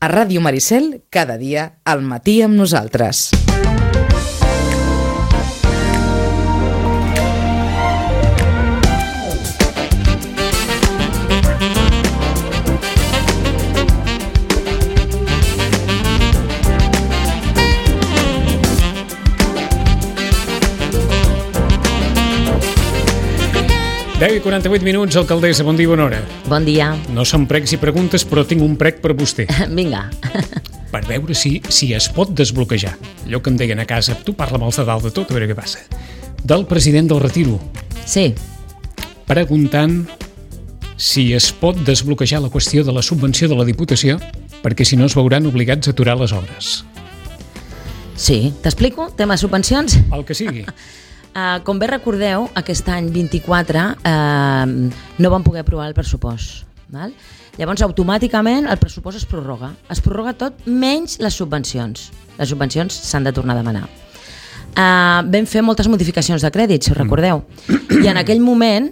A Ràdio Maricel, cada dia, al matí amb nosaltres. Deu i 48 minuts, alcaldessa, bon dia, bona hora. Bon dia. No són pregs i preguntes, però tinc un prec per vostè. Vinga. Per veure si es pot desbloquejar. Allò que em deien a casa, tu parla amb els de dalt de tot, a veure què passa. Del president del Retiro. Sí. Preguntant si es pot desbloquejar la qüestió de la subvenció de la Diputació, perquè si no es veuran obligats a aturar les obres. Sí. T'explico? Tema subvencions? El que sigui. Com bé recordeu, aquest any 24 no vam poder aprovar el pressupost. Val? Llavors, automàticament, el pressupost es prorroga. Es prorroga tot menys les subvencions. Les subvencions s'han de tornar a demanar. Vam fer moltes modificacions de crèdit, si us recordeu. I en aquell moment,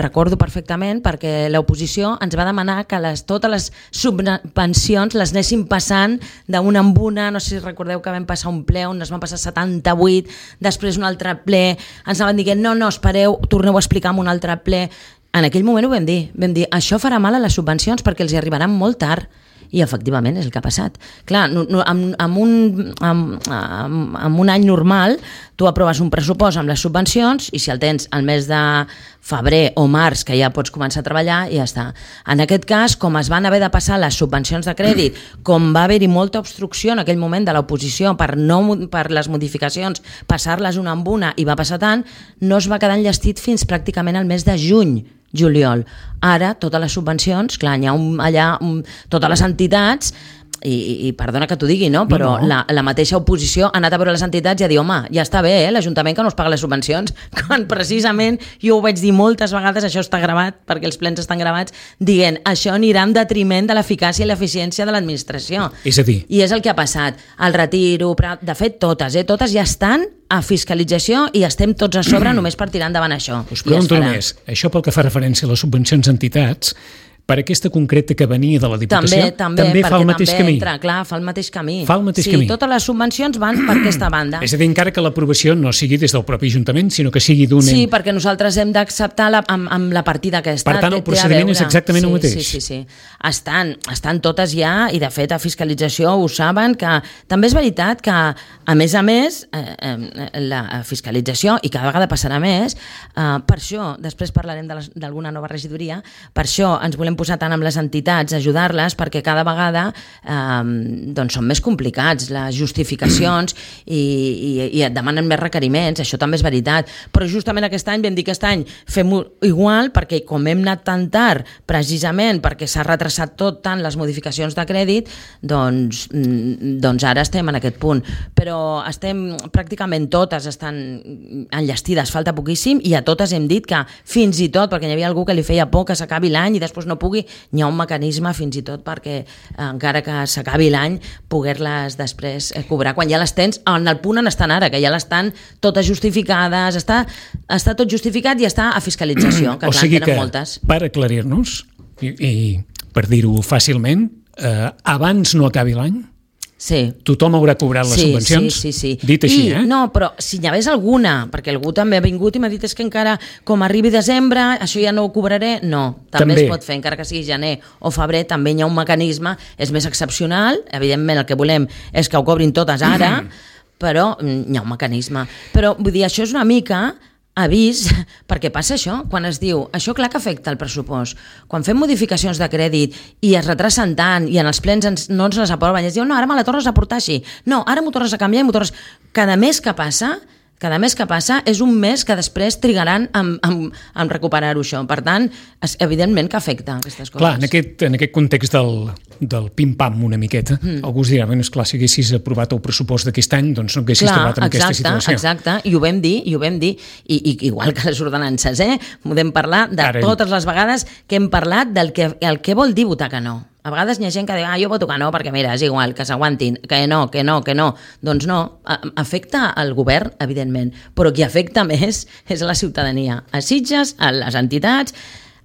recordo perfectament, perquè l'oposició ens va demanar que totes les subvencions les anéssim passant d'una en una. No sé si recordeu que vam passar un ple on es van passar 78, després un altre ple, ens anaven dient, no, espereu, torneu a explicar en un altre ple. En aquell moment ho vam dir, això farà mal a les subvencions perquè els hi arribaran molt tard. I efectivament és el que ha passat. Clar, amb un any normal tu aproves un pressupost amb les subvencions i si el tens al mes de febrer o març que ja pots començar a treballar i ja està. En aquest cas, com es van haver de passar les subvencions de crèdit, com va haver-hi molta obstrucció en aquell moment de l'oposició per les modificacions, passar-les una amb una i va passar tant, no es va quedar enllestit fins pràcticament al mes de juliol. Ara, totes les subvencions, clar, hi ha allà totes les entitats, i perdona que t'ho digui, no? Però no. La mateixa oposició ha anat a veure les entitats i a dir, home, ja està bé, l'Ajuntament que no es paga les subvencions, quan precisament jo ho vaig dir moltes vegades, això està gravat, perquè els plens estan gravats, dient, això anirà en detriment de l'eficàcia i l'eficiència de l'administració. És a dir... I és el que ha passat. El Retiro, de fet, totes ja estan a fiscalització i estem tots a sobre només per tirar endavant això. Us pregunto només, això pel que fa referència a les subvencions a entitats, per aquesta concreta que venia de la Diputació, també fa el mateix camí. Fa el mateix camí. Sí, totes les subvencions van per aquesta banda. És a dir, encara que l'aprovació no sigui des del propi Ajuntament, sinó que sigui d'un... Sí, perquè nosaltres hem d'acceptar amb la partida aquesta. Per tant, el procediment és exactament el mateix. Sí. Estan totes ja, i de fet a fiscalització ho saben, que també és veritat que, a més, la fiscalització, i cada vegada passarà més, per això, després parlarem d'alguna nova regidoria, per això ens volem posar tant amb les entitats, ajudar-les, perquè cada vegada són més complicats les justificacions i et demanen més requeriments, això també és veritat, però justament aquest any vam dir que aquest any fem-ho igual, perquè com hem anat tan tard, precisament perquè s'ha retrasat tot tant les modificacions de crèdit, doncs ara estem en aquest punt, però pràcticament totes estan enllestides, falta poquíssim, i a totes hem dit que fins i tot, perquè hi havia algú que li feia por que s'acabi l'any i després no pugui, hi ha un mecanisme fins i tot perquè encara que s'acabi l'any poder-les després cobrar quan ja les tens en el punt on estan ara, que ja l'estan totes justificades, està tot justificat i està a fiscalització, que clar, tenen moltes. Per aclarir-nos i per dir-ho fàcilment, abans no acabi l'any, tothom haurà cobrat les subvencions? Sí. Dit així, No, però si n'hi hagués alguna, perquè algú també ha vingut i m'ha dit és que encara com arribi desembre, això ja no ho cobraré, no, també es pot fer, encara que sigui gener o febrer, també hi ha un mecanisme, és més excepcional, evidentment el que volem és que ho cobrin totes ara, però hi ha un mecanisme. Però vull dir, això és una mica avís, perquè passa això, quan es diu, això clar que afecta el pressupost, quan fem modificacions de crèdit i es retrasen tant i en els plens no ens les aproven, i es diu, no, ara me la tornes a portar així, no, ara m'ho tornes a canviar i m'ho tornes... Cada mes que passa és un mes que després trigaran en recuperar-ho això. Per tant, evidentment que afecta aquestes coses. Clar, en aquest context del pim-pam una miqueta, algú es dirà, esclar, si haguessis aprovat el pressupost d'aquest any, doncs no haguessis trobat en aquesta situació. Exacte, i ho vam dir, i igual que les ordenances, podem parlar de totes les vegades que hem parlat del que vol dir votar que no. A vegades hi ha gent que diu, jo voto que no, perquè mira, és igual, que s'aguantin, que no. Doncs no, afecta al govern, evidentment, però qui afecta més és a la ciutadania, a Sitges, a les entitats,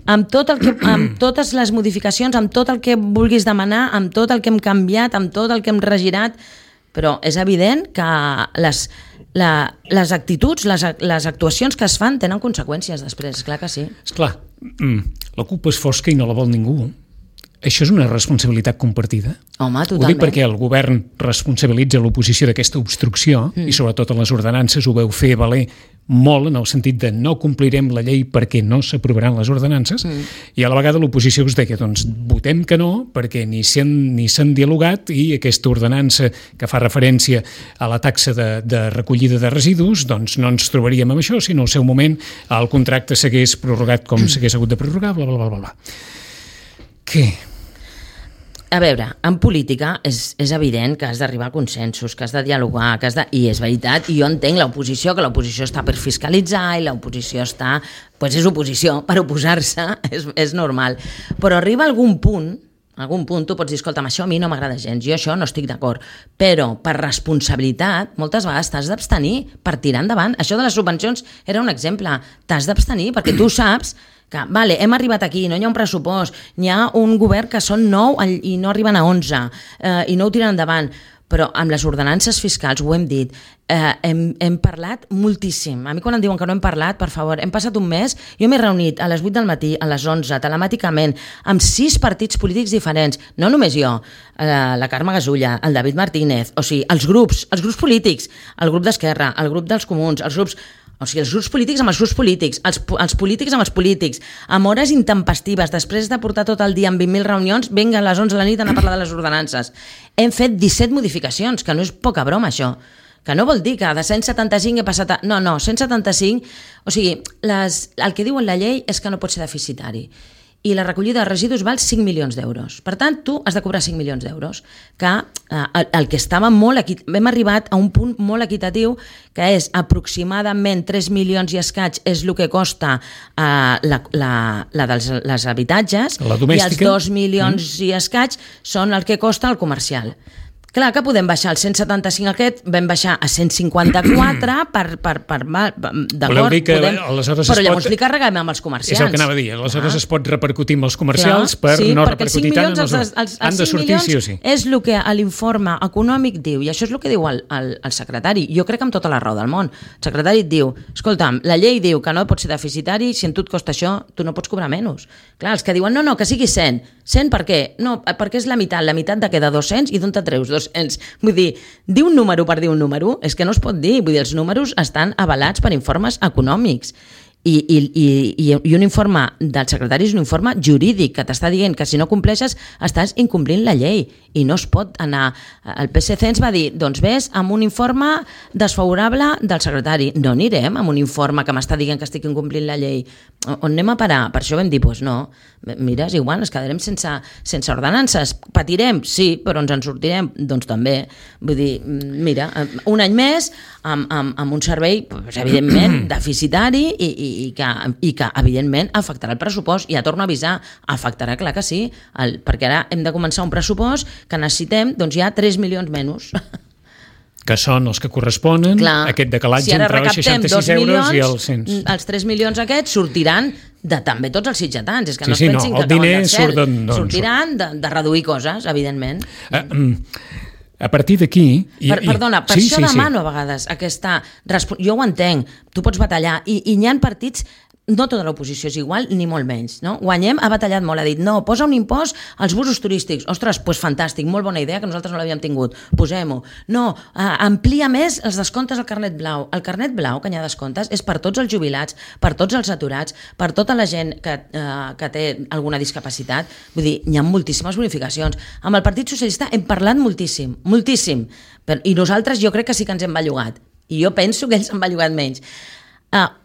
amb totes les modificacions, amb tot el que vulguis demanar, amb tot el que hem canviat, amb tot el que hem regirat, però és evident que les actituds, les actuacions que es fan tenen conseqüències després, esclar que sí. Esclar, la culpa és fosca i no la vol ningú. Això és una responsabilitat compartida? Home, totalment. Ho dic perquè el govern responsabilitza l'oposició d'aquesta obstrucció i sobretot en les ordenances ho veu fer valer molt en el sentit de no complirem la llei perquè no s'aprovaran les ordenances i a la vegada l'oposició us deia doncs votem que no perquè ni s'han dialogat i aquesta ordenança que fa referència a la taxa de recollida de residus doncs no ens trobaríem amb això si no al seu moment el contracte s'hagués prorrogat com s'hagués hagut de prorrogar, bla, bla, bla, bla. Què? A veure, en política és evident que has d'arribar a consensos, que has de dialogar, i és veritat, i jo entenc l'oposició, que l'oposició està per fiscalitzar i l'oposició està... Doncs és oposició, per oposar-se, és normal. Però arriba algun punt tu pots dir, escolta'm, això a mi no m'agrada gens, jo això no estic d'acord, però per responsabilitat moltes vegades t'has d'abstenir per tirar endavant. Això de les subvencions era un exemple, t'has d'abstenir perquè tu saps que, vale, hem arribat aquí, no hi ha un pressupost, n'hi ha un govern que són 9 i no arriben a 11 i no ho tiren endavant, però amb les ordenances fiscals, ho hem dit, hem parlat moltíssim. A mi quan em diuen que no hem parlat, per favor, hem passat un mes, jo m'he reunit a les 8 del matí, a les 11, telemàticament, amb 6 partits polítics diferents, no només jo, la Carme Gasulla, el David Martínez, o sigui, els grups polítics, el grup d'Esquerra, el grup dels Comuns, els grups polítics amb els grups polítics, els polítics amb els polítics, amb hores intempestives, després de portar tot el dia amb 20.000 reunions, vinga a les 11 de la nit a anar a parlar de les ordenances. Hem fet 17 modificacions, que no és poca broma això, que no vol dir que de 175 he passat a... No, 175, o sigui, el que diu en la llei és que no pot ser deficitari. I la recollida de residus val 5 milions d'euros. Per tant, tu has de cobrar 5 milions d'euros, que el que estava hem arribat a un punt molt equitatiu, que és aproximadament 3 milions i escaig és el que costa la dels habitatges, i els 2 milions i escaig són el que costa el comercial. Clar que podem baixar el 175 aquest, vam baixar a 154 d'acord, voleu dir que aleshores però llavors li carreguem amb els comerciants. És el que anava a dir, aleshores es pot repercutir amb els comercials per no repercutir tant en els... Han de sortir sí o sí. És el que l'informe econòmic diu, i això és el que diu el secretari. Jo crec que amb tota la raó del món. El secretari et diu, escolta'm, la llei diu que no pot ser deficitari, si en tu et costa això, tu no pots cobrar menys. Clar, els que diuen, no, que sigui 100. 100 per què? No, perquè és la meitat de què de 200 i d'on te treus 200. Vull dir, dir un número per dir un número és que no es pot dir. Vull dir, els números estan avalats per informes econòmics. I un informe del secretari és un informe jurídic que t'està dient que si no compleixes estàs incomplint la llei i no es pot anar. El PSC ens va dir, doncs ves amb un informe desfavorable del secretari. No anirem amb un informe que m'està dient que estic incomplint la llei. On anem a parar? Per això vam dir, doncs no, mira, és igual, ens quedarem sense ordenances. Patirem? Sí, però ens en sortirem? Doncs també. Vull dir, mira, un any més amb un servei, evidentment, deficitari i que evidentment afectarà el pressupost. I ja torno a avisar, afectarà, clar que sí, perquè ara hem de començar un pressupost que necessitem, doncs hi ha 3 milions menys. Que són els que corresponen, clar, aquest decalatge entre els 66 euros i els 100. Els 3 milions aquests sortiran de també tots els sitjatans. És que no es pensin que acaben del cel. Sortiran de reduir coses, evidentment. A partir d'aquí... Perdona, per això demano a vegades aquesta... Jo ho entenc, tu pots batallar, i hi ha partits... No tota l'oposició és igual, ni molt menys. No? Guanyem ha batallat molt, ha dit, no, posa un impost als busos turístics. Ostres, doncs fantàstic, molt bona idea, que nosaltres no l'havíem tingut. Posem-ho. No, amplia més els descomptes al carnet blau. El carnet blau, que hi ha descomptes, és per tots els jubilats, per tots els aturats, per tota la gent que té alguna discapacitat. Vull dir, hi ha moltíssimes bonificacions. Amb el Partit Socialista hem parlat moltíssim, moltíssim. I nosaltres jo crec que sí que ens hem bellugat. I jo penso que ells han bellugat menys.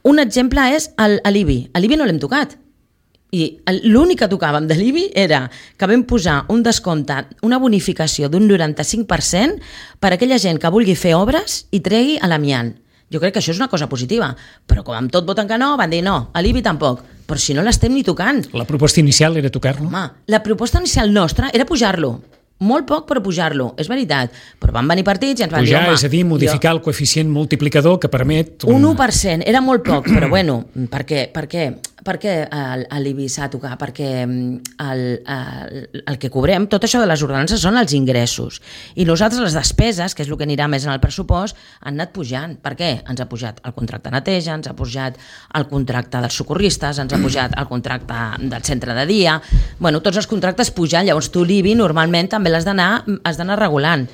Un exemple és l'IBI. L'IBI no l'hem tocat. I l'únic que tocàvem de l'IBI era que vam posar un descompte, una bonificació d'un 95% per a aquella gent que vulgui fer obres i tregui a l'amiant. Jo crec que això és una cosa positiva, però com amb tot voten que no, van dir no, a l'IBI tampoc. Però si no l'estem ni tocant. La proposta inicial era tocar-lo? Home, la proposta inicial nostra era pujar-lo. Molt poc per pujar-lo, és veritat, però van venir partits i ens van dir, home... És a dir, modificar el coeficient multiplicador que permet... Un 1%, era molt poc, però bueno, per què? per què l'IBI s'ha de tocar? Perquè el que cobrem, tot això de les ordenances són els ingressos. I nosaltres les despeses, que és el que anirà més en el pressupost, han anat pujant. Per què? Ens ha pujat el contracte de neteja, ens ha pujat el contracte dels socorristes, ens ha pujat el contracte del centre de dia... Bueno, tots els contractes pujan, llavors tu l'IBI normalment també has d'anar regulant.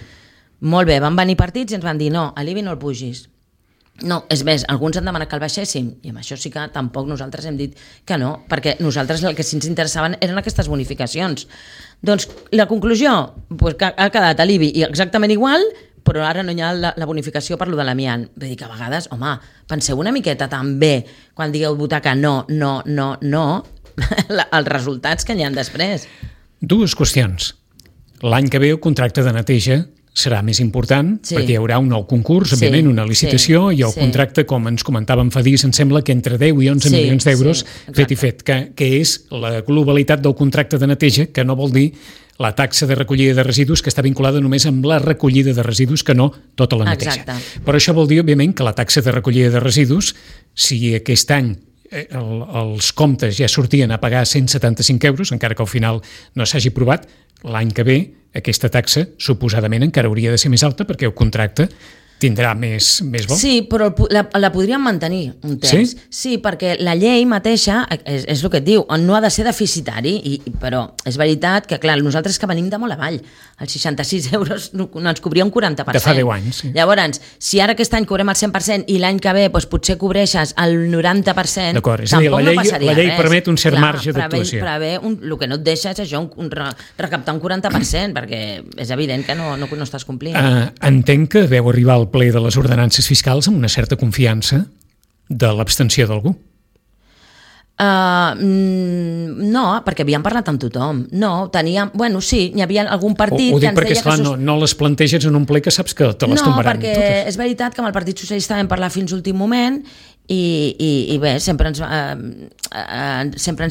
Molt bé, van venir partits i ens van dir no, a l'IBI no el pugis. No, és més, alguns han demanat que el baixéssim i amb això sí que tampoc nosaltres hem dit que no, perquè nosaltres el que sí ens interessaven eren aquestes bonificacions. Doncs la conclusió, pues, que ha quedat a l'IBI exactament igual, però ara no hi ha la bonificació per lo de l'amiant. Vull dir que a vegades, home, penseu una miqueta també, quan digueu votar que no, els resultats que hi ha després. Dues qüestions. L'any que ve el contracte de neteja serà més important, perquè hi haurà un nou concurs, òbviament, una licitació, i el contracte, com ens comentàvem fa dies, em sembla que entre 10 i 11 milions d'euros, fet i fet, que és la globalitat del contracte de neteja, que no vol dir la taxa de recollida de residus, que està vinculada només amb la recollida de residus, que no tota la neteja. Exacte. Però això vol dir, òbviament, que la taxa de recollida de residus, si aquest any els comptes ja sortien a pagar 175 euros, encara que al final no s'hagi provat, l'any que ve aquesta taxa suposadament encara hauria de ser més alta perquè el contracte tindrà més bo. Sí, però la podríem mantenir un temps. Sí, perquè la llei mateixa, és el que et diu, no ha de ser deficitari, però és veritat que, clar, nosaltres que venim de molt avall, els 66 euros no ens cobria un 40%. De fa 10 anys, sí. Llavors, si ara aquest any cobrem el 100% i l'any que ve potser cobreixes el 90%, d'acord, és a dir, la llei permet un cert marge d'actuació. El que no et deixa és això, recaptar un 40%, perquè és evident que no estàs complint. Entenc que deu arribar al ple de les ordenances fiscals amb una certa confiança de l'abstenció d'algú. No, perquè havíem parlat amb tothom. No, teníem... Bueno, sí, hi havia algun partit que ens deia... Esclar, no les planteges en un ple que saps que te les tombaran totes. No, perquè és veritat que amb el Partit Socialista vam parlar fins l'últim moment i bé, sempre ens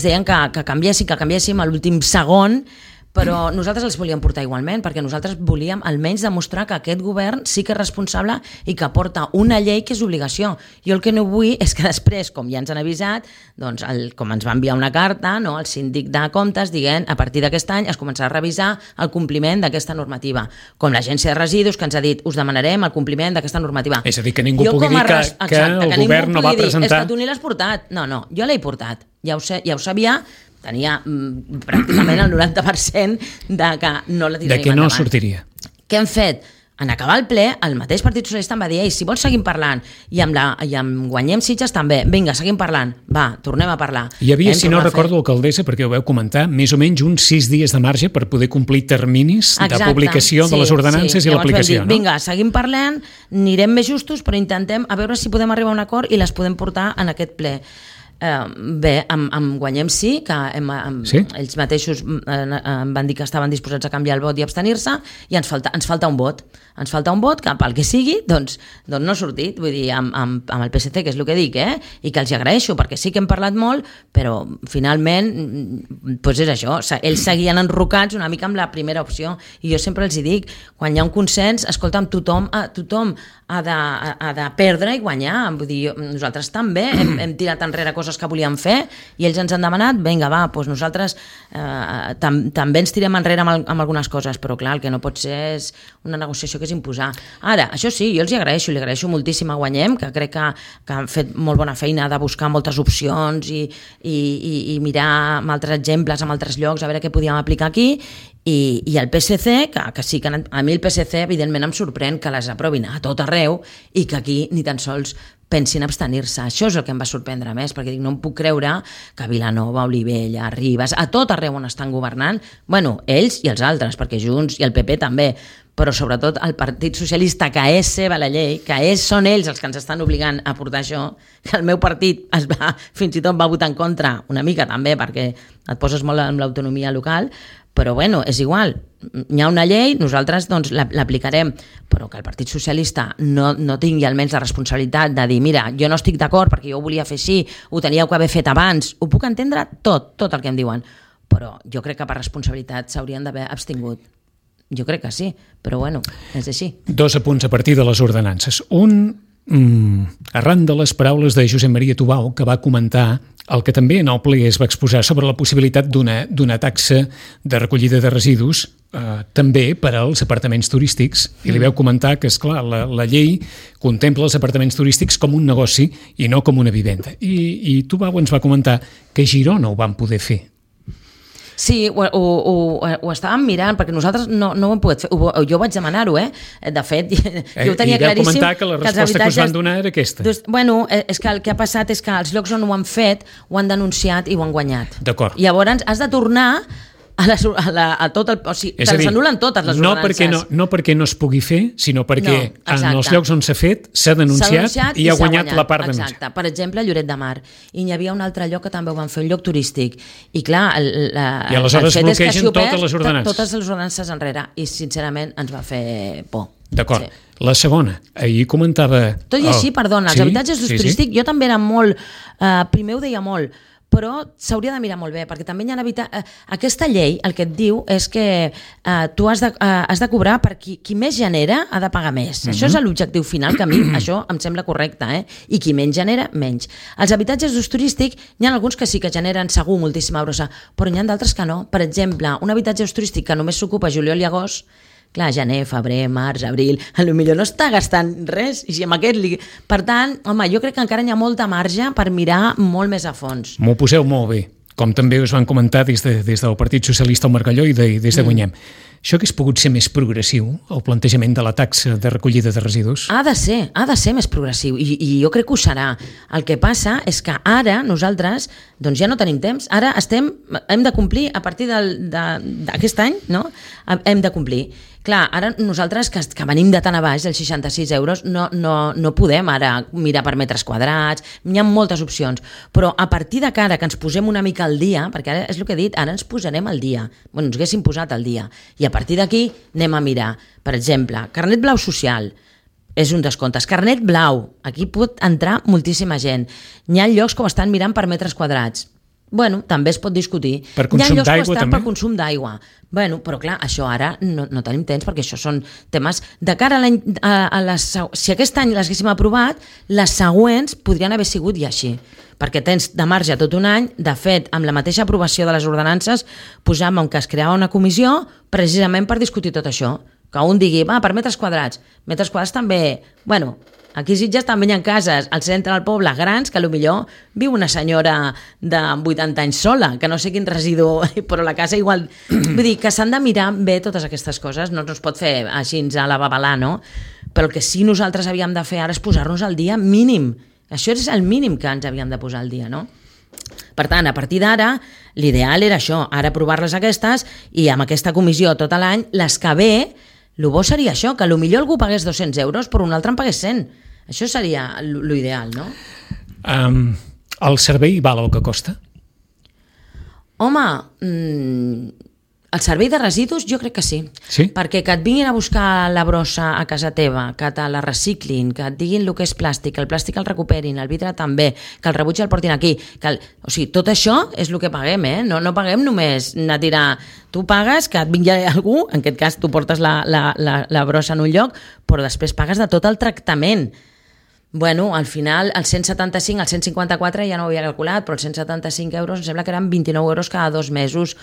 deien que canviéssim a l'últim segon, però nosaltres els volíem portar igualment, perquè nosaltres volíem almenys demostrar que aquest govern sí que és responsable i que porta una llei que és obligació. Jo el que no vull és que després, com ja ens han avisat, doncs com ens va enviar una carta, no, el síndic de comptes dient a partir d'aquest any es començarà a revisar el compliment d'aquesta normativa. Com l'Agència de Residus, que ens ha dit us demanarem el compliment d'aquesta normativa. És a dir, que ningú pugui dir que el govern no va presentar... És que tu ni l'has portat. No, jo l'he portat. Ja ho sabia, tenia pràcticament el 90% de que no la tiraríem endavant. De que no sortiria. Què hem fet? En acabar el ple, el mateix Partit Socialista em va dir si vols seguim parlant, i amb Guanyem Sitges també, vinga, seguim parlant, va, tornem a parlar. Hi havia, si no recordo, alcaldessa, perquè ho veu comentar, més o menys uns 6 dies de marge per poder complir terminis de publicació de les ordenances i l'aplicació. No? Vinga, seguim parlant, anirem més justos, però intentem a veure si podem arribar a un acord i les podem portar en aquest ple. Bé, amb Guanyem sí, que ells mateixos em van dir que estaven disposats a canviar el vot i abstenir-se, i ens falta un vot. Ens falta un vot que pel que sigui doncs no ha sortit, vull dir, amb el PSC, que és el que dic, i que els agraeixo, perquè sí que hem parlat molt, però finalment doncs és això, ells seguien enrocats una mica amb la primera opció, i jo sempre els dic, quan hi ha un consens, escolta'm, tothom ha de perdre i guanyar, vull dir, nosaltres també hem tirat enrere coses que volíem fer i ells ens han demanat, vinga, va, doncs nosaltres també ens tirem enrere amb algunes coses, però clar, el que no pot ser és una negociació que és imposar. Ara, això sí, jo els li agraeixo moltíssim a Guanyem, que crec que han fet molt bona feina de buscar moltes opcions i mirar amb altres exemples, amb altres llocs, a veure què podíem aplicar aquí, i el PSC, que sí que a mi el PSC evidentment em sorprèn que les aprovin a tot arreu i que aquí ni tan sols pensin abstenir-se. Això és el que em va sorprendre més, perquè no em puc creure que Vilanova, Olivella, Ribes, a tot arreu on estan governant, bueno, ells i els altres, perquè Junts i el PP també, però sobretot el Partit Socialista, que és seva la llei, que són ells els que ens estan obligant a portar això, que el meu partit fins i tot va votar en contra, una mica també, perquè et poses molt amb l'autonomia local, però bueno, és igual, hi ha una llei, nosaltres doncs l'aplicarem, però que el Partit Socialista no tingui almenys la responsabilitat de dir, mira, jo no estic d'acord perquè jo ho volia fer així, ho teníeu que haver fet abans, ho puc entendre tot el que em diuen, però jo crec que per responsabilitat s'haurien d'haver abstingut. Jo crec que sí, però bueno, és així. 2 apunts a partir de les ordenances. Un, arran de les paraules de Josep Maria Tubau, que va comentar el que també en el ple es va exposar sobre la possibilitat d'una taxa de recollida de residus també per als apartaments turístics, i li vau comentar que, esclar, la llei contempla els apartaments turístics com un negoci i no com una vivenda. I Tubau ens va comentar que a Girona ho van poder fer. Sí, ho estàvem mirant, perquè nosaltres no ho hem pogut fer. Jo vaig demanar-ho, De fet, jo ho tenia claríssim. I vau comentar que la resposta que us van donar era aquesta. Bueno, és que el que ha passat és que els llocs on ho han fet ho han denunciat i ho han guanyat. D'acord. Llavors has de tornar a tot el... O sigui, te les anulen totes les ordenances. No perquè no es pugui fer, sinó perquè en els llocs on s'ha fet s'ha denunciat i ha guanyat la part denunciada. Exacte. Per exemple, Lloret de Mar. I n'hi havia un altre lloc que també ho van fer, un lloc turístic. I clar, i aleshores bloquegen totes les ordenances. Totes les ordenances enrere. I sincerament ens va fer por. D'acord. Sí. La segona, ahir comentava... Tot i així, perdona, els habitatges d'ús turístic, jo també era molt... Primer ho deia molt, però s'hauria de mirar molt bé, perquè també hi ha aquesta llei el que et diu és que tu has de cobrar per qui més genera ha de pagar més. Això és l'objectiu final, que a mi això em sembla correcte, i qui menys genera, menys. Els habitatges d'ús turístic, hi ha alguns que sí que generen segur moltíssima brossa, però n'hi ha d'altres que no. Per exemple, un habitatge d'ús turístic que només s'ocupa juliol i agost, clar, gener, febrer, març, abril, potser no està gastant res. I si amb aquest Per tant, home, jo crec que encara hi ha molta marge per mirar molt més a fons. M'ho poseu molt bé, com també us van comentar des del Partit Socialista al Margalló i des de Guanyem. Això hagués pogut ser més progressiu, el plantejament de la taxa de recollida de residus? Ha de ser més progressiu, i jo crec que ho serà. El que passa és que ara nosaltres doncs ja no tenim temps, ara hem de complir a partir d'aquest any, no? Hem de complir. Clar, ara nosaltres que venim de tan a baix, dels 66 euros, no podem ara mirar per metres quadrats, hi ha moltes opcions, però a partir de cara que ens posem una mica al dia, perquè ara és el que he dit, ara ens posarem al dia, ens haguéssim posat al dia, i a partir d'aquí anem a mirar, per exemple, carnet blau social, és un descompte. Carnet blau, aquí pot entrar moltíssima gent. Hi ha llocs que ho estan mirant per metres quadrats. Bueno, també es pot discutir. Per consum d'aigua, també? Per consum d'aigua. Bueno, però clar, això ara no tenim temps, perquè això són temes... De cara si aquest any les haguéssim aprovat, les següents podrien haver sigut i així. Perquè tens de marge tot un any. De fet, amb la mateixa aprovació de les ordenances, posàvem que es creava una comissió precisament per discutir tot això. Que un digui, per metres quadrats. Metres quadrats també... Bueno, aquí a Sitges també hi ha cases al centre del poble grans que potser viu una senyora de 80 anys sola, que no sé quin residu, però la casa igual... Vull dir que s'han de mirar bé totes aquestes coses, no es pot fer així a la babalà, no? Però el que sí nosaltres havíem de fer ara és posar-nos al dia mínim. Això és el mínim que ens havíem de posar al dia, no? Per tant, a partir d'ara, l'ideal era això, ara aprovar-les aquestes i amb aquesta comissió tot l'any, les que ve... El bo seria això, que potser algú pagués 200 euros però un altre en pagués 100. Això seria l'ideal, no? El servei val el que costa? Home, el servei de residus jo crec que sí. Sí? Perquè que et vinguin a buscar la brossa a casa teva, que te la reciclin, que et diguin el que és plàstic, que el plàstic el recuperin, el vidre també, que el rebuig el portin aquí. O sigui, tot això és el que paguem, No paguem només anar a tirar... Tu pagues que et vingui algú, en aquest cas tu portes la brossa en un lloc, però després pagues de tot el tractament. Bueno, al final, el 175, el 154 ja no ho havia calculat, però els 175 euros em sembla que eren 29 euros cada 2 mesos.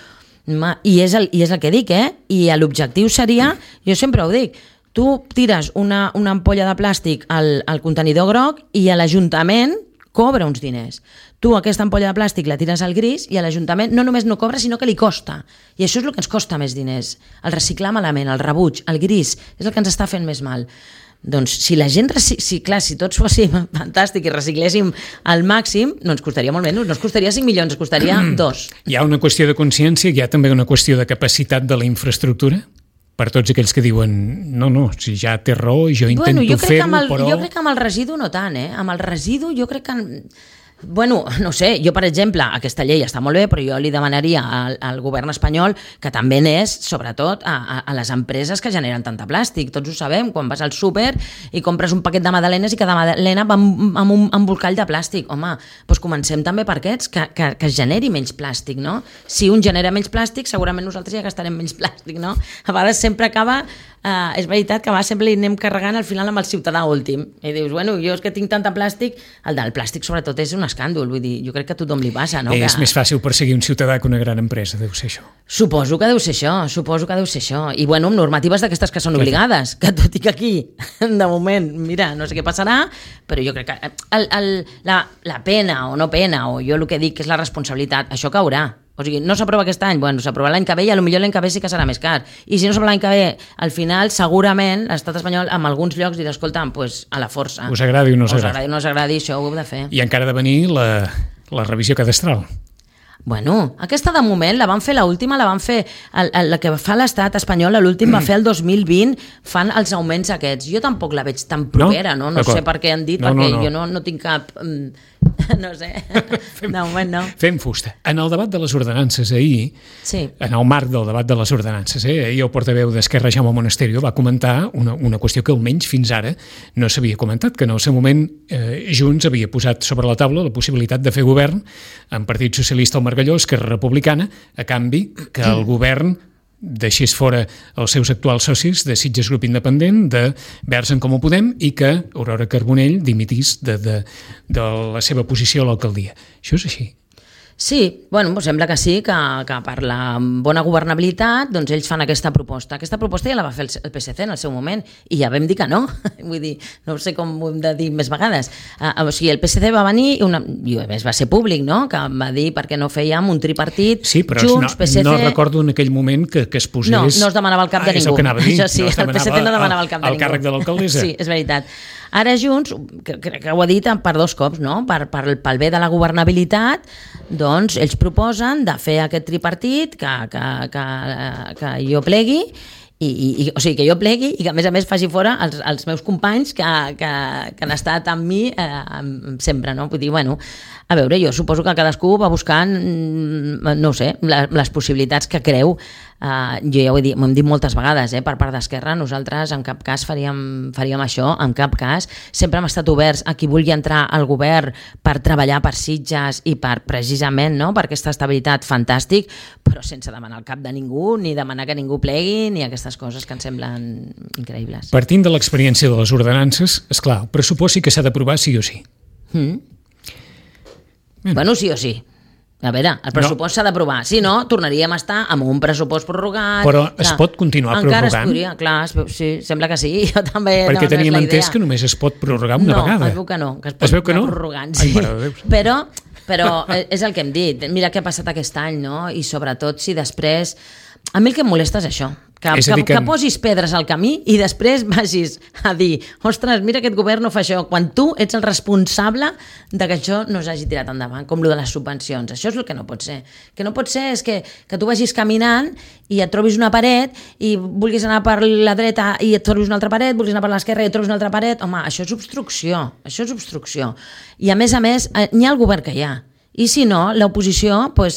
I és el que dic, I l'objectiu seria, jo sempre ho dic, tu tires una ampolla de plàstic al contenidor groc i a l'Ajuntament cobra uns diners. Tu aquesta ampolla de plàstic la tires al gris i a l'Ajuntament no només no cobra, sinó que li costa. I això és el que ens costa més diners. El reciclar malament, el rebuig, el gris, és el que ens està fent més mal. Doncs si la gent, si tots fóssim fantàstic i recicléssim al màxim, no ens costaria molt menys, no ens costaria 5 milions, ens costaria 2. Hi ha una qüestió de consciència, hi ha també una qüestió de capacitat de la infraestructura? Per tots aquells que diuen, no, si ja té raó, jo intento fer-ho, però... Jo crec que amb el residu no tant, Amb el residu jo crec que... Bueno, no sé, jo per exemple, aquesta llei està molt bé, però jo li demanaria al govern espanyol que també n'és, sobretot, a les empreses que generen tanta plàstic. Tots ho sabem, quan vas al súper i compres un paquet de magdalenes i cada magdalena va amb un embolcall de plàstic. Home, doncs comencem també per aquests, que es generi menys plàstic, no? Si un genera menys plàstic, segurament nosaltres ja gastarem menys plàstic, no? A vegades sempre acaba és veritat que sempre li anem carregant al final amb el ciutadà últim. I dius, bueno, jo és que tinc tanta plàstic, el del plàstic sobretot és un escàndol, vull dir, jo crec que a tothom li passa, no? És més fàcil perseguir un ciutadà que una gran empresa, deu ser això. Suposo que deu ser això. I bueno, amb normatives d'aquestes que són obligades, que tot i que aquí, de moment, mira, no sé què passarà, però jo crec que la pena o no pena, o jo el que dic que és la responsabilitat, això caurà. O sigui, no s'aprova aquest any, bueno, s'aprova l'any que ve i potser l'any que ve sí que serà més car. I si no s'aprova l'any que ve, al final, segurament, l'estat espanyol, en alguns llocs, dirà, escolta, pues, a la força. Us agradi o no us agradi. Us agradi o no us agradi, això ho heu de fer. I encara ha de venir la revisió cadastral. Bueno, aquesta de moment la van fer l'última, la van fer la que fa l'estat espanyol, l'últim va fer el 2020, fan els augments aquests. Jo tampoc la veig tan propera, no sé per què han dit, perquè jo no tinc cap... no sé, de moment no. Fem fusta. En el debat de les ordenances ahir, en el marc del debat de les ordenances, ahir el portaveu d'Esquerra, Jaume Monasterio, va comentar una qüestió que almenys fins ara no s'havia comentat, que en el seu moment Junts havia posat sobre la taula la possibilitat de fer govern amb Partit Socialista al Margalló, Esquerra Republicana, a canvi que el govern deixés fora els seus actuals socis de Sitges Grup Independent, de Verds en Comú Podem, i que Aurora Carbonell dimitís de la seva posició a l'alcaldia. Això és així. Sí, bueno, sembla que sí, que per la bona governabilitat doncs ells fan aquesta proposta. Aquesta proposta ja la va fer el PSC en el seu moment i ja vam dir que no. Vull dir, no sé com ho hem de dir més vegades. O sigui, el PSC va venir i a més va ser públic, no? Que va dir perquè no fèiem un tripartit, sí, però Junts, PSC... no recordo en aquell moment que es posés... No es demanava el cap de ningú. És el que anava a dir. Això sí, el PSC no demanava el cap de ningú. El càrrec de l'alcaldessa. Sí, és veritat. Ara Junts, crec que ho ha dit per dos cops, no? Pel bé de la governabilitat, doncs ells proposen de fer aquest tripartit que jo plegui, o sigui, que jo plegui i que a més faci fora els meus companys que han estat amb mi sempre, no? Vull dir, bueno, a veure, jo suposo que cadascú va buscant, no sé, les possibilitats que creu. Jo ja ho hem dit moltes vegades, per part d'Esquerra, nosaltres en cap cas faríem això, en cap cas. Sempre hem estat oberts a qui vulgui entrar al govern per treballar per Sitges i per precisament, no?, per aquesta estabilitat fantàstic, però sense demanar el cap de ningú, ni demanar que ningú plegui, ni aquestes coses que ens semblen increïbles. Partint de l'experiència de les ordenances, esclar, el pressupost sí que s'ha d'aprovar sí o sí. Bueno, sí o sí. A veure, el pressupost s'ha d'aprovar. Si no, tornaríem a estar amb un pressupost prorrogat... Però es pot continuar prorrogant? Encara es podria, clar, sí, sembla que sí. Jo també... Perquè teníem entès que només es pot prorrogar una vegada. No, es veu que no, que es pot anar prorrogant. Sí. Però és el que hem dit. Mira què ha passat aquest any, no? I sobretot si després... A mi el que em molesta és això, que posis pedres al camí i després vagis a dir, ostres, mira, aquest govern no fa això, quan tu ets el responsable de que això no s'hagi tirat endavant, com lo de les subvencions. Això és el que no pot ser. Que no pot ser és que tu vagis caminant i et trobis una paret i vulguis anar per la dreta i et trobis una altra paret, vulguis anar per l'esquerra i et trobis una altra paret. Home, això és obstrucció. I a més, n'hi ha el govern que hi ha. I si no, l'oposició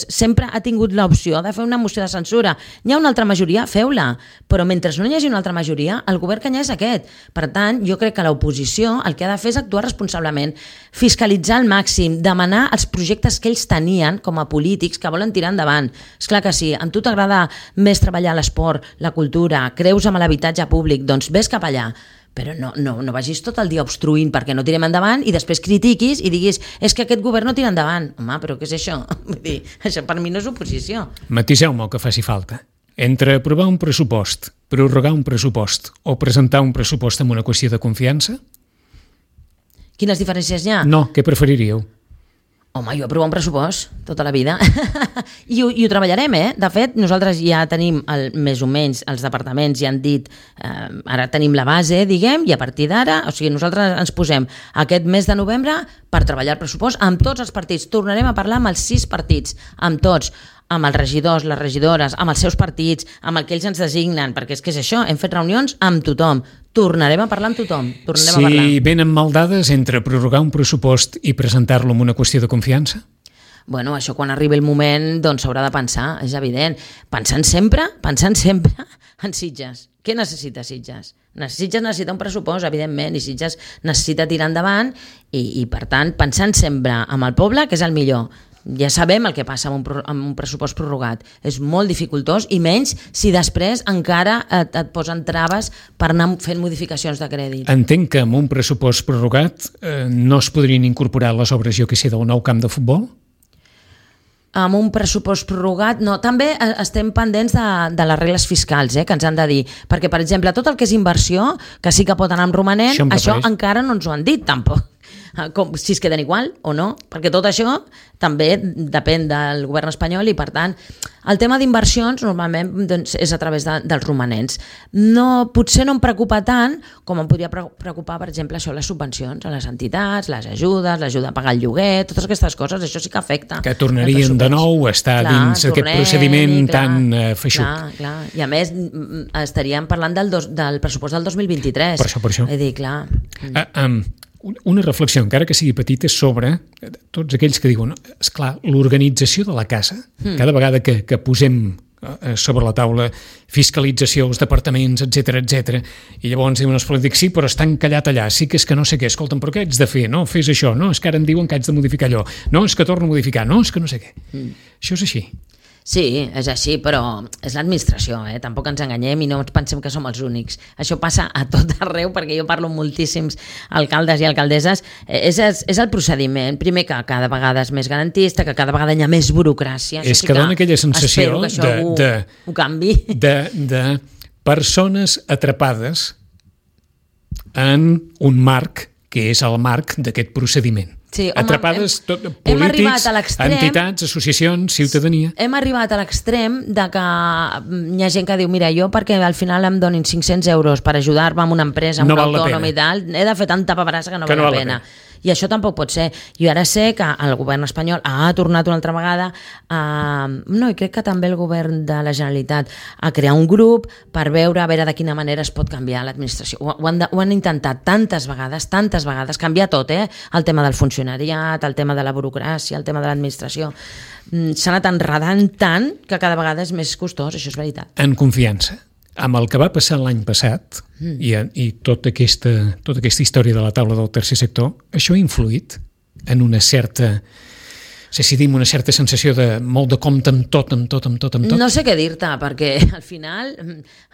sempre ha tingut l'opció de fer una moció de censura. Hi ha una altra majoria, feu-la. Però mentre no hi hagi una altra majoria, el govern que hi ha és aquest. Per tant, jo crec que l'oposició el que ha de fer és actuar responsablement, fiscalitzar al màxim, demanar els projectes que ells tenien com a polítics que volen tirar endavant. Esclar que sí, a tu t'agrada més treballar l'esport, la cultura, creus en l'habitatge públic, doncs vés cap allà. Però no vagis tot el dia obstruint perquè no tirem endavant i després critiquis i diguis és que aquest govern no tira endavant. Home, però què és això? Vull dir, això per mi no és oposició. Matiseu-me el que faci falta. Entre aprovar un pressupost, prorrogar un pressupost o presentar un pressupost amb una qüestió de confiança? Quines diferències hi ha? No, què preferiríeu? Home, jo aprovar un pressupost tota la vida I ho treballarem, De fet, nosaltres ja tenim més o menys els departaments ja han dit, ara tenim la base, diguem, i a partir d'ara, o sigui, nosaltres ens posem aquest mes de novembre per treballar el pressupost amb tots els partits. Tornarem a parlar amb els 6 partits, amb tots, amb els regidors, les regidores, amb els seus partits, amb el que ells ens designen, perquè és que és això, hem fet reunions amb tothom. Tornarem a parlar amb tothom. Si venen mal dades entre prorrogar un pressupost i presentar-lo amb una qüestió de confiança? Bueno, això quan arribi el moment doncs s'haurà de pensar, és evident. Pensant sempre en Sitges. Què necessita Sitges? Sitges necessita un pressupost, evidentment, i Sitges necessita tirar endavant i per tant, pensant sempre amb el poble, que és el millor. ja sabem el que passa amb un pressupost prorrogat. És molt dificultós, i menys si després encara et posen traves per anar fent modificacions de crèdit. Entenc que amb un pressupost prorrogat no es podrien incorporar les obres, jo que sé, del nou camp de futbol? Amb un pressupost prorrogat, no. També estem pendents de les regles fiscals, que ens han de dir. Perquè, per exemple, tot el que és inversió, que sí que pot anar amb romanent, això encara no ens ho han dit, tampoc. Si es queden igual o no, perquè tot això també depèn del govern espanyol, i per tant el tema d'inversions normalment doncs, és a través dels romanents. Potser no em preocupa tant com em podria preocupar, per exemple, això, les subvencions a les entitats, les ajudes, l'ajuda a pagar el lloguer, totes aquestes coses, això sí que afecta. Que tornarien de nou a estar dins aquest procediment tan feixuc. Clar. I a més estaríem parlant del pressupost del 2023. Per això. He dit, clar. Una reflexió, encara que sigui petita, sobre tots aquells que diuen, esclar, l'organització de la casa, cada vegada que posem sobre la taula fiscalització, els departaments, etc, i llavors diuen els polítics, sí, però està encallat allà, sí que és que no sé què, escolta'm, però què haig de fer? No, fes això, no, és que ara em diuen que haig de modificar allò, no, és que torno a modificar, no, és que no sé què. Això és així. Sí, és així, però és l'administració, tampoc ens enganyem i no ens pensem que som els únics. Això passa a tot arreu, perquè jo parlo amb moltíssims alcaldes i alcaldesses. És el procediment, primer, que cada vegada és més garantista, que cada vegada hi ha més burocràcia. És que dona aquella sensació ho canvi. de persones atrapades en un marc que és el marc d'aquest procediment. Sí, home, atrapades polítics, entitats, associacions, ciutadania. Hem arribat a l'extrem de que hi ha gent que diu, mira, jo perquè al final em donin 500 euros per ajudar-me en una empresa, en un autònom i tal, he de fer tanta paperassa que no val la pena. I això tampoc pot ser. Jo ara sé que el govern espanyol ha tornat una altra vegada i crec que també el govern de la Generalitat a crear un grup per veure de quina manera es pot canviar l'administració. Ho han intentat tantes vegades, canviar tot, el tema del funcionariat, el tema de la burocràcia, el tema de l'administració. S'ha anat enredant tant que cada vegada és més costós, això és veritat. En confiança. Amb el que va passar l'any passat i tota aquesta història de la taula del tercer sector, això ha influït en una certa, no sé si dim, una certa sensació de molt de compte amb tot. No sé què dir-te, perquè al final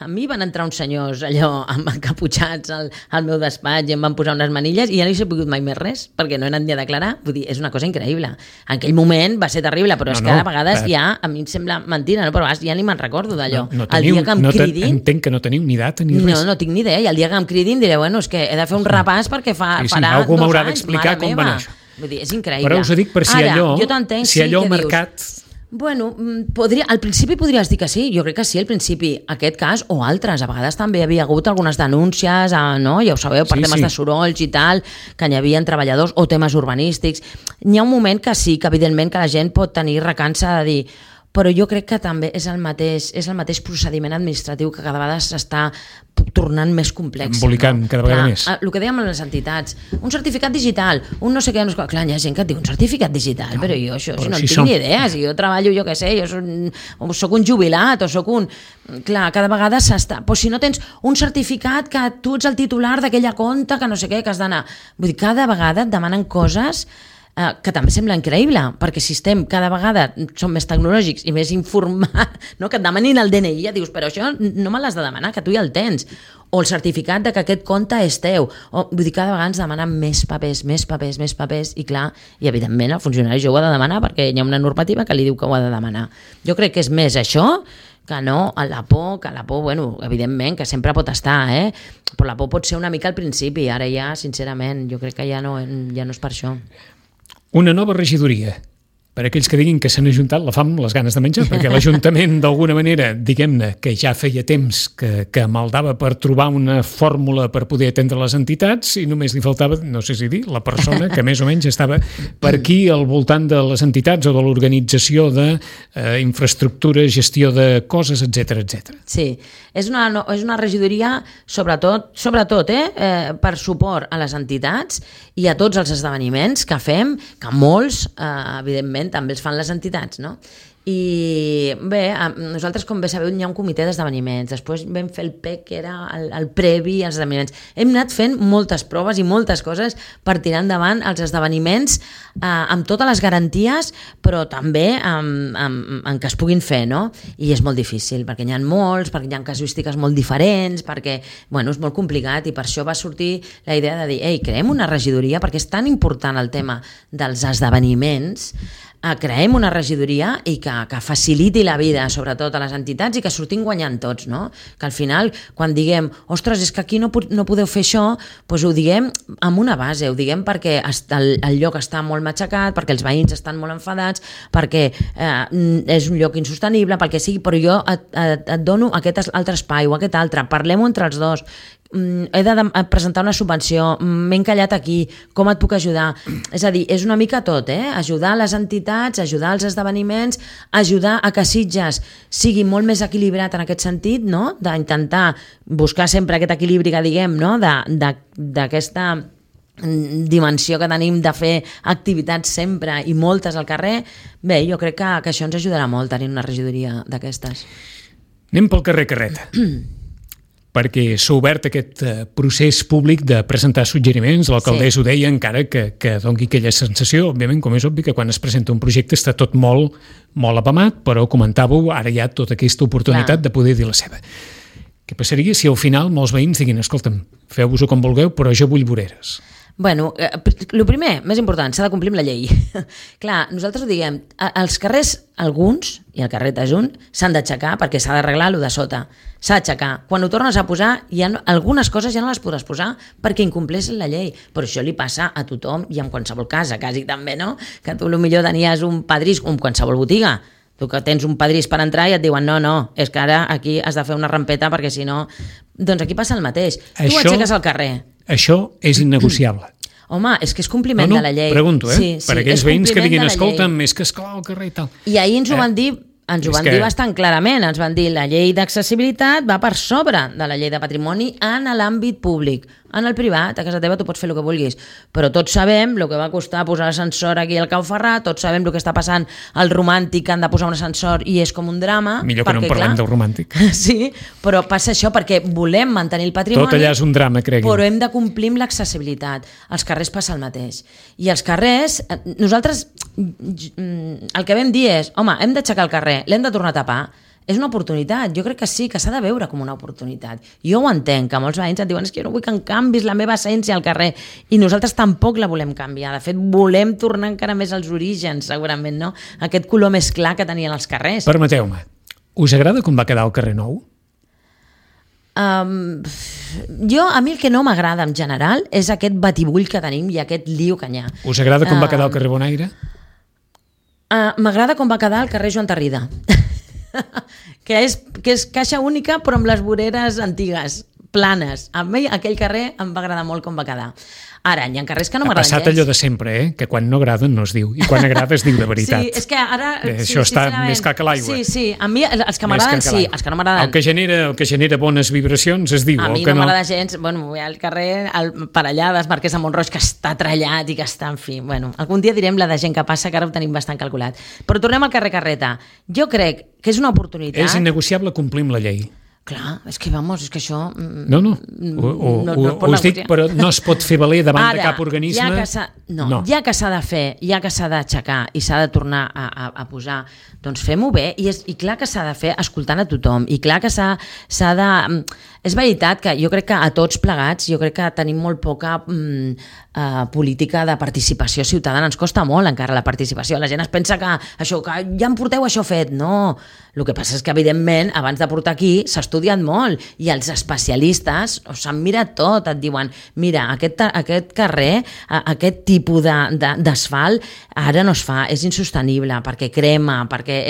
a mi van entrar uns senyors allò amb encaputxats al meu despatx i em van posar unes manilles i ja no hi he pogut mai més res, perquè no he anat ni a declarar. Vull dir, és una cosa increïble. En aquell moment va ser terrible, però és que a vegades ja, a mi em sembla mentira, però ja ni me'n recordo d'allò. Entenc que no teniu ni data ni res. No tinc ni idea, i el dia que em cridin diré, bueno, és que he de fer un repàs perquè farà 2 anys. Algú m'haurà d'explicar com va anar això. Vull dir, és increïble. Però us ho dic per si allò marcat... Bueno, al principi podries dir que sí, jo crec que sí, al principi, aquest cas o altres, a vegades també havia hagut algunes denúncies, no? Ja ho sabeu, per temes de sorolls i tal, que hi havia treballadors o temes urbanístics. N'hi ha un moment que sí, que evidentment que la gent pot tenir recança de dir, però jo crec que també és el mateix procediment administratiu que cada vegada s'està tornant més complex. Embolicant cada vegada més. El que dèiem a les entitats, un certificat digital, un no sé què, clar, hi ha gent que et diu un certificat digital, però jo això no en tinc ni idea, si jo treballo, jo què sé, jo soc un jubilat o soc un... Clar, cada vegada s'està... Però si no tens un certificat que tu ets el titular d'aquella compte, que no sé què, que has d'anar... Vull dir, cada vegada et demanen coses que també sembla increïble, perquè si estem cada vegada som més tecnològics i més informats, no? Que et demanin el DNI, ja dius, però això no me l'has de demanar, que tu ja el tens, o el certificat de que aquest compte és teu, vull dir, cada vegada ens demanen més papers, i clar, i evidentment el funcionari jo ho ha de demanar perquè hi ha una normativa que li diu que ho ha de demanar. Jo crec que és més això que no la por, bueno, evidentment, que sempre pot estar, però la por pot ser una mica al principi, ara ja, sincerament, jo crec que ja no és per això. Una nova regidoria, per aquells que diguin que s'han ajuntat la fam, les ganes de menjar, perquè l'Ajuntament, d'alguna manera, diguem-ne, que ja feia temps que maldava per trobar una fórmula per poder atendre les entitats i només li faltava, no sé si dir, la persona que més o menys estava per aquí al voltant de les entitats o de l'organització d'infraestructures, gestió de coses, etc. Sí, és una regidoria sobretot per suport a les entitats i a tots els esdeveniments que fem, que molts, evidentment, també els fan les entitats, no? I bé, nosaltres, com bé sabeu, hi ha un comitè d'esdeveniments, després vam fer el PEC, que era el previ als esdeveniments. Hem anat fent moltes proves i moltes coses per tirar endavant els esdeveniments amb totes les garanties, però també en què es puguin fer, no? I és molt difícil, perquè n'hi ha molts, perquè hi ha casuístiques molt diferents, perquè, bueno, és molt complicat, i per això va sortir la idea de dir, ei, creem una regidoria, perquè és tan important el tema dels esdeveniments, creem una regidoria i que faciliti la vida, sobretot a les entitats, i que sortim guanyant tots, no? Que al final, quan diguem, ostres, és que aquí no podeu fer això, doncs ho diguem amb una base, ho diguem perquè el lloc està molt matxacat, perquè els veïns estan molt enfadats, perquè és un lloc insostenible, pel que sigui, però jo et dono aquest altre espai o aquest altre, parlem-ho entre els dos, he de presentar una subvenció, m'he encallat aquí, com et puc ajudar? És a dir, és una mica tot, ajudar les entitats, ajudar els esdeveniments, ajudar a que Sitges sigui molt més equilibrat en aquest sentit, no? D'intentar buscar sempre aquest equilibri que diguem, no? D'aquesta dimensió que tenim de fer activitats sempre i moltes al carrer. Bé, jo crec que això ens ajudarà molt, tenir una regidoria d'aquestes. Anem pel carrer Carreta. Perquè s'ha obert aquest procés públic de presentar suggeriments, l'alcaldessa ho deia, encara que doni aquella sensació, òbviament, com és obvi, que quan es presenta un projecte està tot molt apamat, però comentàveu, ara hi ha tota aquesta oportunitat de poder dir la seva. Què passaria si al final molts veïns diguin, escolta'm, feu-vos-ho com vulgueu, però jo vull voreres? Bueno, el primer, més important, s'ha de complir amb la llei. Clar, nosaltres ho diguem, els carrers, alguns, i el carrer és un, s'han d'aixecar perquè s'ha d'arreglar el de sota. S'ha d'aixecar. Quan ho tornes a posar, algunes coses ja no les podràs posar perquè incompleixen la llei. Però això li passa a tothom i en qualsevol casa, quasi també, no? Que tu potser tenies un pedrís, com qualsevol botiga. Tu que tens un pedrís per entrar i et diuen no, és que ara aquí has de fer una rampeta perquè si no... Doncs aquí passa el mateix. Tu aixeques al carrer. Això és innegociable. Home, és que és compliment de la llei. Pregunto, per aquells veïns que diguin, escolta'm, és que esclar el carrer i tal. I ahir ens ho van dir, dir bastant clarament, ens van dir la llei d'accessibilitat va per sobre de la llei de patrimoni en l'àmbit públic. En el privat, a casa teva tu pots fer el que vulguis, però tots sabem el que va costar posar l'ascensor aquí al Cau Ferrat, tots sabem el que està passant al Romàntic, que han de posar un ascensor i és com un drama. Millor que no en parlem del Romàntic. Sí, però passa això perquè volem mantenir el patrimoni. Tot allà és un drama, creguin. Però hem de complir amb l'accessibilitat. Als carrers passa el mateix. I els carrers, nosaltres el que vam dir és, home, hem d'aixecar el carrer, l'hem de tornar a tapar. És una oportunitat, jo crec que sí, que s'ha de veure com una oportunitat. Jo ho entenc, que molts veïns et diuen és que jo no vull que em canvis la meva essència al carrer, i nosaltres tampoc la volem canviar, de fet volem tornar encara més als orígens, segurament, no? Aquest color més clar que tenien els carrers. Permeteu-me, us agrada com va quedar el carrer Nou? A mi el que no m'agrada en general és aquest batibull que tenim i aquest lío que hi ha. Us agrada com va quedar el carrer Bonaire? M'agrada com va quedar el carrer Joan Tarrida. que és caixa única però amb les voreres antigues, planes. A mi aquell carrer em va agradar molt com va quedar. Ara, hi ha carrers que no m'agraden gens. Ha passat allò de sempre, que quan no agraden no es diu, i quan agrada es diu de veritat. Sí, és que ara... Això està més clar que l'aigua. Sí, a mi els que m'agraden sí, els que no m'agraden... El que genera bones vibracions es diu. A mi no m'agrada gens, bueno, al carrer per allà dels Marquès de Montroig, que està trallat i que està, en fi... Bueno, algun dia direm la de gent que passa, que ara ho tenim bastant calculat. Però tornem al carrer Carreta. Jo crec que és una oportunitat... És innegociable complir amb la llei. Clar, és que això... No, us dic, però no es pot fer valer davant de cap organisme. Ja que s'ha de fer, ja que s'ha d'aixecar i s'ha de tornar a posar, doncs fem-ho bé, i clar que s'ha de fer escoltant a tothom, i clar que s'ha de... És veritat que jo crec que a tots plegats, jo crec que tenim molt poca política de participació ciutadana, ens costa molt encara la participació, la gent es pensa que ja em porteu això fet, no. El que passa és que, evidentment, abans de portar aquí s'ha estudiat molt i els especialistes s'han mirat tot, et diuen, mira, aquest carrer, aquest tipus d'asfalt ara no es fa, és insostenible, perquè crema, perquè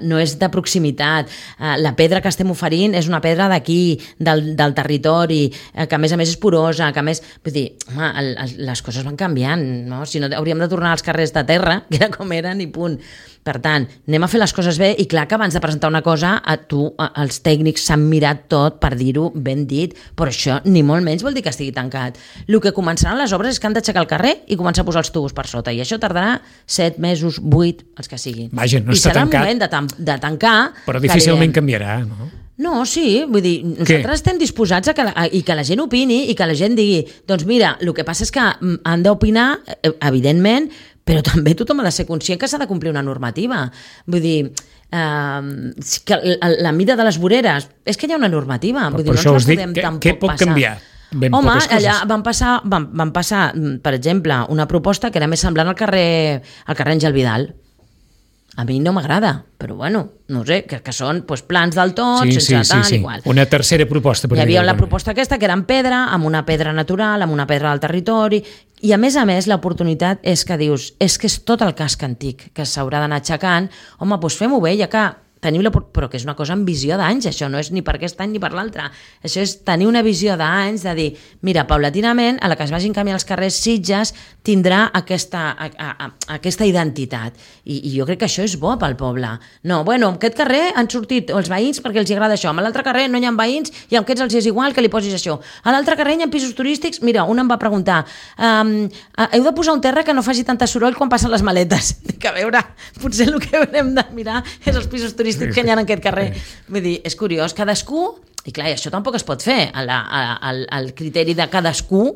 no és de proximitat, la pedra que estem oferint és una pedra d'aquí, del territori, que a més és porosa, que a més, vull dir, home, les coses van canviant, no? Si no hauríem de tornar als carrers de terra, que era com eren i punt. Per tant, anem a fer les coses bé i clar que abans de presentar una cosa els tècnics s'han mirat tot per dir-ho ben dit, però això ni molt menys vol dir que estigui tancat. El que començaran les obres és que han d'aixecar el carrer i començar a posar els tubos per sota i això tardarà 7 mesos, 8, els que siguin. Vaja, no està tancat. I serà el moment de tancar. Però difícilment canviarà, no? No, sí, vull dir, nosaltres estem disposats a que la gent opini i que la gent digui, doncs mira, el que passa és que han d'opinar, evidentment, però també tothom ha de ser conscient que s'ha de complir una normativa. Vull dir, que la mida de les voreres, és que hi ha una normativa. Vull dir, per això us dic, què pot passar. canviar? Home, allà van passar, per exemple, una proposta que era més semblant al carrer Àngel Vidal. A mi no m'agrada, però bueno, no sé, que són plans del tot, sense tal, igual. Una tercera proposta. Hi havia la proposta aquesta, que era en pedra, amb una pedra natural, amb una pedra del territori, i a més, l'oportunitat és que dius, és que és tot el casc antic que s'haurà d'anar aixecant, home, doncs fem-ho bé, ja que tenim però que és una cosa amb visió d'anys, això no és ni per aquest any ni per l'altre, això és tenir una visió d'anys, de dir, mira, paulatinament, a la que es vagin canviant els carrers, Sitges tindrà aquesta identitat, i jo crec que això és bo pel poble. No, bueno, en aquest carrer han sortit els veïns perquè els agrada això, en l'altre carrer no hi ha veïns i en aquests els és igual que li posis això. A l'altre carrer hi ha pisos turístics, mira, un em va preguntar, heu de posar un terra que no faci tanta soroll quan passen les maletes. Dic, a veure, potser el que haurem de mirar és els pisos turístics que hi ha en aquest carrer. Vull dir, és curiós, cadascú, i clar, això tampoc es pot fer, el criteri de cadascú,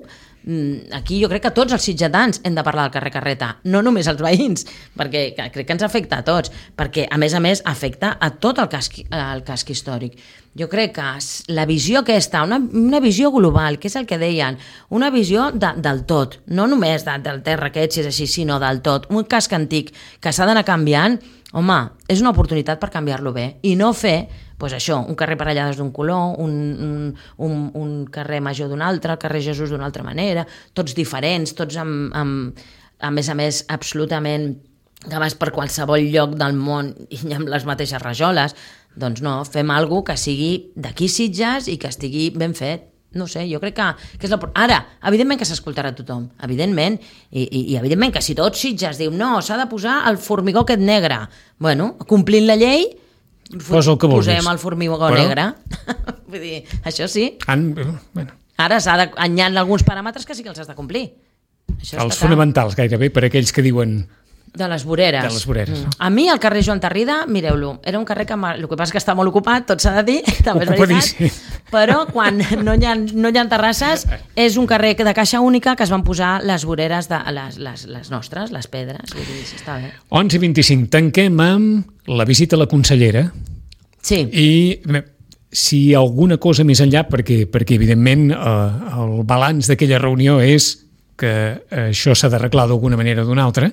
aquí jo crec que tots els sitgetans hem de parlar del carrer Carreta, no només els veïns, perquè crec que ens afecta a tots, perquè a més afecta a tot el casc històric. Jo crec que la visió aquesta, una visió global, que és el que deien, una visió del tot, no només del terra aquest, si és així, sinó del tot, un casc antic que s'ha d'anar canviant, home, és una oportunitat per canviar-lo bé i no fer, doncs això, un carrer Parellades d'un color, un carrer Major d'un altre, el carrer Jesús d'una altra manera, tots diferents, tots a més, absolutament que vas per qualsevol lloc del món i amb les mateixes rajoles. Doncs no, fem alguna cosa que sigui d'aquí Sitges i que estigui ben fet. No sé, jo crec que és ara, evidentment que s'escoltarà tothom, evidentment, i evidentment que si tot Sitges diu no, s'ha de posar el formigó aquest negre, bueno, complint la llei, posem el formigó negre. Vull dir, això sí. Ara hi ha alguns paràmetres que sí que els has de complir. Els fonamentals, gairebé, per aquells que diuen... De les voreres. De les voreres, no? A mi, el carrer Joan Tarrida, mireu-lo, era un carrer que el que passa és que està molt ocupat, tot s'ha de dir, també és veritat, però quan no hi ha terrasses, és un carrer de caixa única que es van posar les voreres de les nostres, les pedres, vull dir, està bé. 11:25, tanquem amb la visita a la consellera. Sí. I si alguna cosa més enllà, perquè evidentment el balanç d'aquella reunió és que això s'ha d'arreglar d'alguna manera o d'una altra,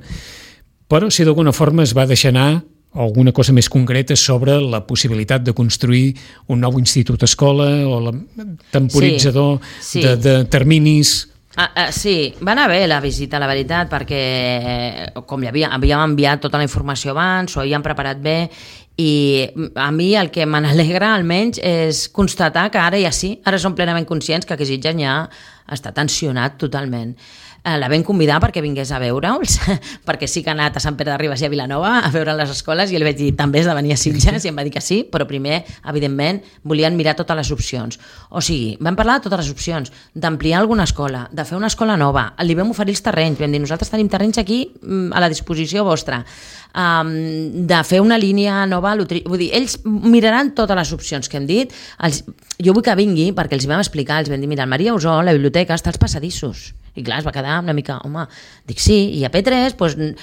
però si d'alguna forma es va deixar anar alguna cosa més concreta sobre la possibilitat de construir un nou institut-escola o el temporitzador de terminis... Sí, va anar bé la visita, la veritat, perquè com havíem enviat tota la informació abans, ho havíem preparat bé, i a mi el que me n'alegra almenys és constatar que ara ja sí, ara som plenament conscients que aquest Sitges ja està tensionat totalment. La vam convidar perquè vingués a veure'ls, perquè sí que ha anat a Sant Pere de Ribes i a Vilanova a veure les escoles, i li vaig dir també has de venir a Sitges, i em va dir que sí, però primer, evidentment, volien mirar totes les opcions. O sigui, vam parlar de totes les opcions, d'ampliar alguna escola, de fer una escola nova, li vam oferir els terrenys, vam dir, nosaltres tenim terrenys aquí a la disposició vostra, de fer una línia nova, vull dir, ells miraran totes les opcions que hem dit, jo vull que vingui, perquè els vam explicar, els vam dir, mira, el Maria Usó, la biblioteca, està als passadissos. I clar, es va quedar una mica, home, dic sí, i a P3 doncs,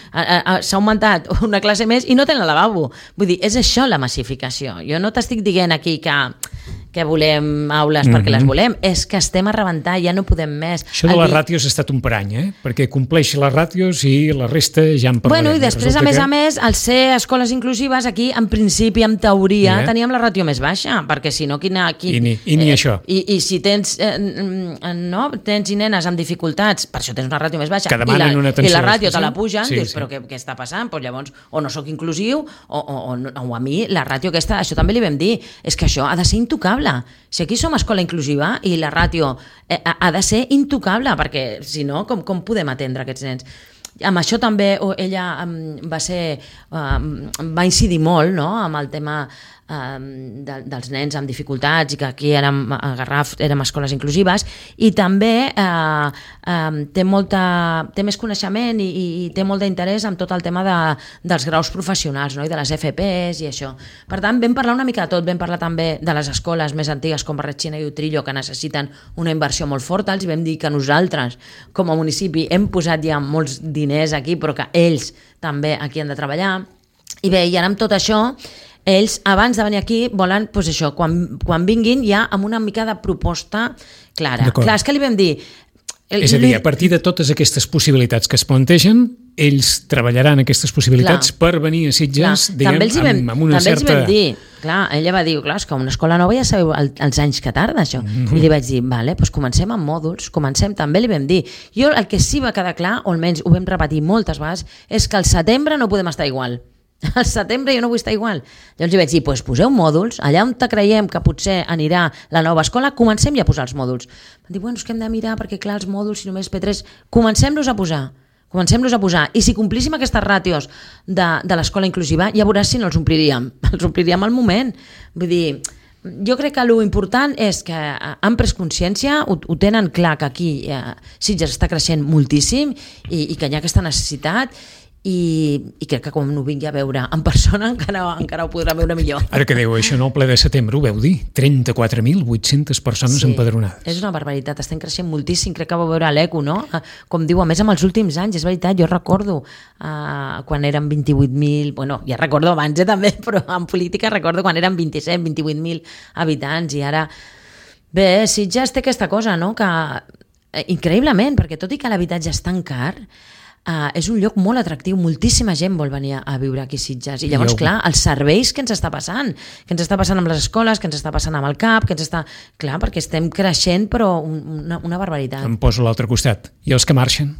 s'ha augmentat una classe més i no tenen lavabo. Vull dir, és això la massificació. Jo no t'estic dient aquí que volem aules perquè les volem, és que estem a rebentar, ja no podem més. Això de les ràtios ha estat un parany, perquè compleix les ràtios i la resta ja en parlarem. Bueno, i després, a més, al ser escoles inclusives, aquí, en principi, en teoria, teníem la ràtio més baixa, perquè si no, I ni això. I si tens tens i nenes amb dificultats, per això tens una ràtio més baixa, i la ràtio te la pugen, dius, però què està passant? Doncs llavors, o no sóc inclusiu, o a mi la ràtio aquesta, això també li vam dir, és que això ha de ser intocable. Si aquí som escola inclusiva i la ràtio ha de ser intocable, perquè si no, com podem atendre aquests nens? amb això també ella va incidir molt, no?, amb el tema dels nens amb dificultats, i que aquí a Garraf érem escoles inclusives, i també té més coneixement i té molt d'interès en tot el tema dels graus professionals, no?, i de les FPs i això. Per tant, vam parlar una mica de tot, vam parlar també de les escoles més antigues com Barretxina i Utrillo, que necessiten una inversió molt forta. Els vam dir que nosaltres, com a municipi, hem posat ja molts diners aquí, però que ells també aquí han de treballar. I bé, i ara amb tot això, ells, abans de venir aquí, volen, doncs això, quan vinguin, ja amb una mica de proposta clara. Clar, és que li vam dir... És a dir, a partir de totes aquestes possibilitats que es plantegen, ells treballaran aquestes possibilitats per venir a Sitges, diguem, amb una certa... També els vam dir, clar, ella va dir, clar, és que una escola nova ja sabeu els anys que tarda, això. I li vaig dir, vale, doncs comencem amb mòduls, també li vam dir. Jo el que sí va quedar clar, o almenys ho vam repetir moltes vegades, és que al setembre no podem estar igual. Al setembre jo no vull estar igual. Llavors li vaig dir, doncs poseu mòduls, allà on creiem que potser anirà la nova escola, comencem ja a posar els mòduls. Van dir, bueno, és que hem de mirar, perquè clar, els mòduls, si només P3, comencem-los a posar. I si complíssim aquestes ràtios de l'escola inclusiva, ja veuràs si no els ompliríem al moment. Vull dir, jo crec que l'important és que han pres consciència, ho tenen clar, que aquí Sitges està creixent moltíssim i que hi ha aquesta necessitat, i crec que quan ho vingui a veure en persona encara ho podrà veure millor. Ara que dèieu això, no? El ple de setembre, ho veu dir? 34.800 persones empadronades. És una barbaritat, estem creixent moltíssim, crec que va veure l'ECO, no? Com diu, a més amb els últims anys, és veritat, jo recordo quan eren 28.000, bueno, ja recordo abans també, però en política recordo quan eren 27, 28.000 habitants, i ara... Bé, Sitges té aquesta cosa, no?, que increïblement, perquè tot i que l'habitatge és tan car, és un lloc molt atractiu, moltíssima gent vol venir a viure aquí a Sitges, i llavors, clar, els serveis que ens està passant amb les escoles, que ens està passant amb el CAP, clar, perquè estem creixent, però una barbaritat. Em poso a l'altre costat. I els que marxen?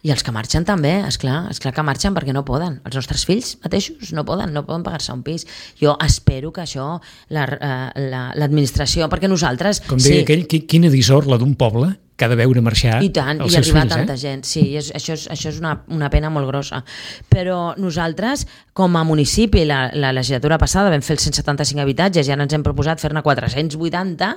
I els que marxen també, esclar que marxen perquè no poden. Els nostres fills mateixos no poden pagar-se un pis. Jo espero que això l'administració, perquè nosaltres... Com deia aquell, quina dissorla d'un poble que ha de veure marxar els seus fills. I arribar tanta gent. Sí, això és una pena molt grossa. Però nosaltres, com a municipi, la legislatura passada vam fer els 175 habitatges i ara ens hem proposat fer-ne 480,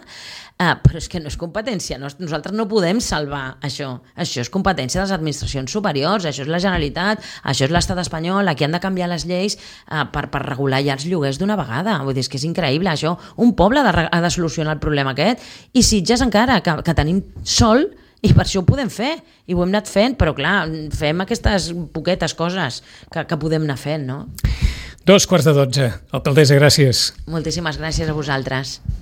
però és que no és competència. Nosaltres no podem salvar això. Això és competència de les administracions superiors, això és la Generalitat, això és l'Estat espanyol, aquí han de canviar les lleis per regular ja els lloguers d'una vegada. Vull dir, és que és increïble, això. Un poble ha de solucionar el problema aquest, i Sitges encara, que tenim sol, i per això ho podem fer, i ho hem anat fent, però clar, fem aquestes poquetes coses que podem anar fent, no? 2:45. Alcaldessa, gràcies. Moltíssimes gràcies a vosaltres.